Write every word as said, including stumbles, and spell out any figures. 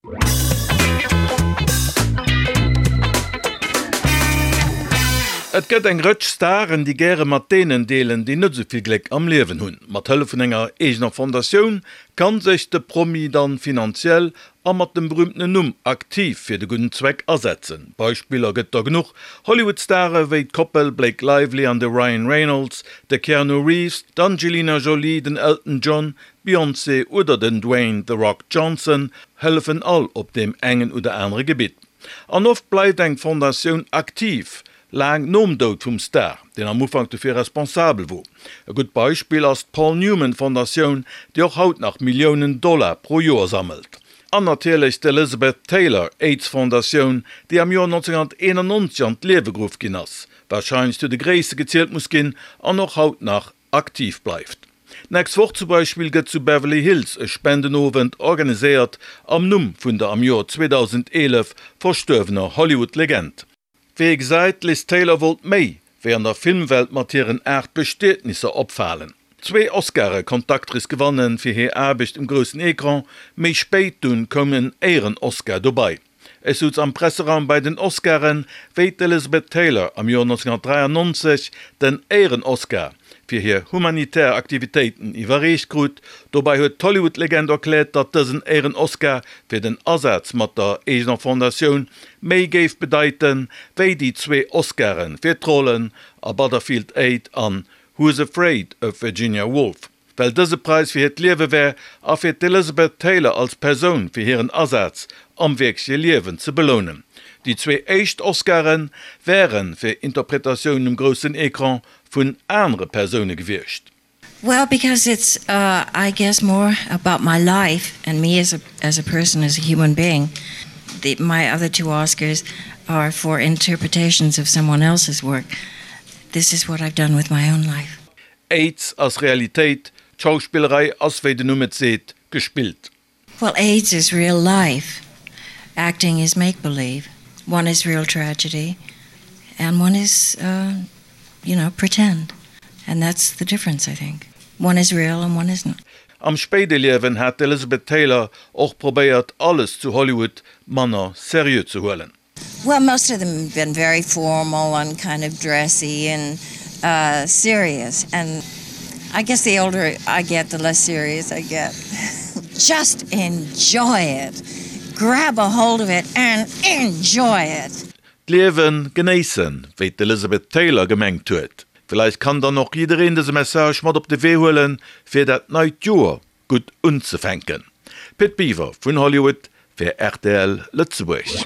Et gëtt eng Rëtsch Staren, déi gäre mat deenen deelen, déi net esou vill Gléck am Liewen hunn. Mat Hëllef vun enger eegener Fondatioun kann sech de Promi dann finanziell a mat dem berüümtenen Numm aktiv fir de gudden Zweck asetzen. Beispiller gëtt der genuch, Hollywood-Stare wéi d'Koppel Blake Lively an de Ryan Reynolds, de Keanu Reeves, d'Angelina Jolie, den Elton John, d'Beyoncé oder den Dwayne The Rock Johnson hëllefen all op deem engen oder anere Gebitt. An oft bleift eng Fondatioun aktiv, laang nom Doud vum Star, deen am Ufank dofir responsabel wor. E gutt Beispill ass d'Paul Newman Fondatioun, déi och haut nach Milliounen Dollar pro Joer sammelt. An natierlech d'Elizabeth Taylor Aids Fondatioun, déi am Joer nonzénhunnerteenannonzeg an d'Liewe geruff ginn ass, warscheinlech zu de gréisste gezielt muss ginn an och haut nach aktiv bleift. D'nächst Woch zum Beispill gëtt zu Beverly Hills e Spendenowend organiséiert am Numm vun der am Joer zweedausendeelef verstuerwener Hollywood-Legend. Wéi ee gesäit, d'Liz Taylor wollt méi wéi an der Filmwelt mat hiren aacht Bestietnisser opfalen. Zwee Oscare konnt d'Actrice gewannen fir hir Aarbecht um groussen Ecran, méi spéit dunn koum en Éieren-Oscar dobei. Ech souz am Presseraum bei den Oscaren, wéi d'Elizabeth Taylor am Joer nonzénhunnertdräiannonzeg den Éieren-Oscar fir hir humanitär Aktivitéiten iwwerreecht krut. Dobei huet d'Hollywood-Legend erkläert, datt dësen Éieren-Oscar fir den Asaz mat der eegener Fondatioun méi géif bedeiten, wéi déi zwee Oscare fir d'Rollen a Butterfield Eight an Who's Afraid of Virginia Woolf? Well dëse Präis fir hiert Liewe wär a fir d'Elizabeth Taylor als Persoun fir hiren Asaz am wierkleche Liewen ze belounen. Déi zwee éischt Oscare wäre fir Interpretatiounen um groussen Ecran vun anere Persoune gewiescht. Well, because it's uh, I guess more about my life and me as a, as a person, as a human being. The, my other two Oscars are for interpretations of someone else's work. This is what I've done with my own life. Aids ass Realitéit, d'Schauspillerei ass, wéi den Numm et seet, gespillt. Well, AIDS is real life. Acting is make-believe. One is real tragedy and one is, uh, you know, pretend. And that's the difference, I think. One is real and one isn't. Am spéide Liewen hat d'Elizabeth Taylor och probéiert, alles zu Hollywood manner seriö ze huelen. Well, most of them have been very formal and kind of dressy and uh, serious. And I guess the older I get, the less serious I get. Just enjoy it. Grab a hold of it and enjoy it. D'Liewe genéissen, wéi d'Elizabeth Taylor gemengt huet. Villäicht kann dann och jiddereen dëse Message mat op de Wee huelen, fir dat neit Joer gutt unzefänken. Pit Biwer vun Hollywood fir rtl Lëtzebuerg.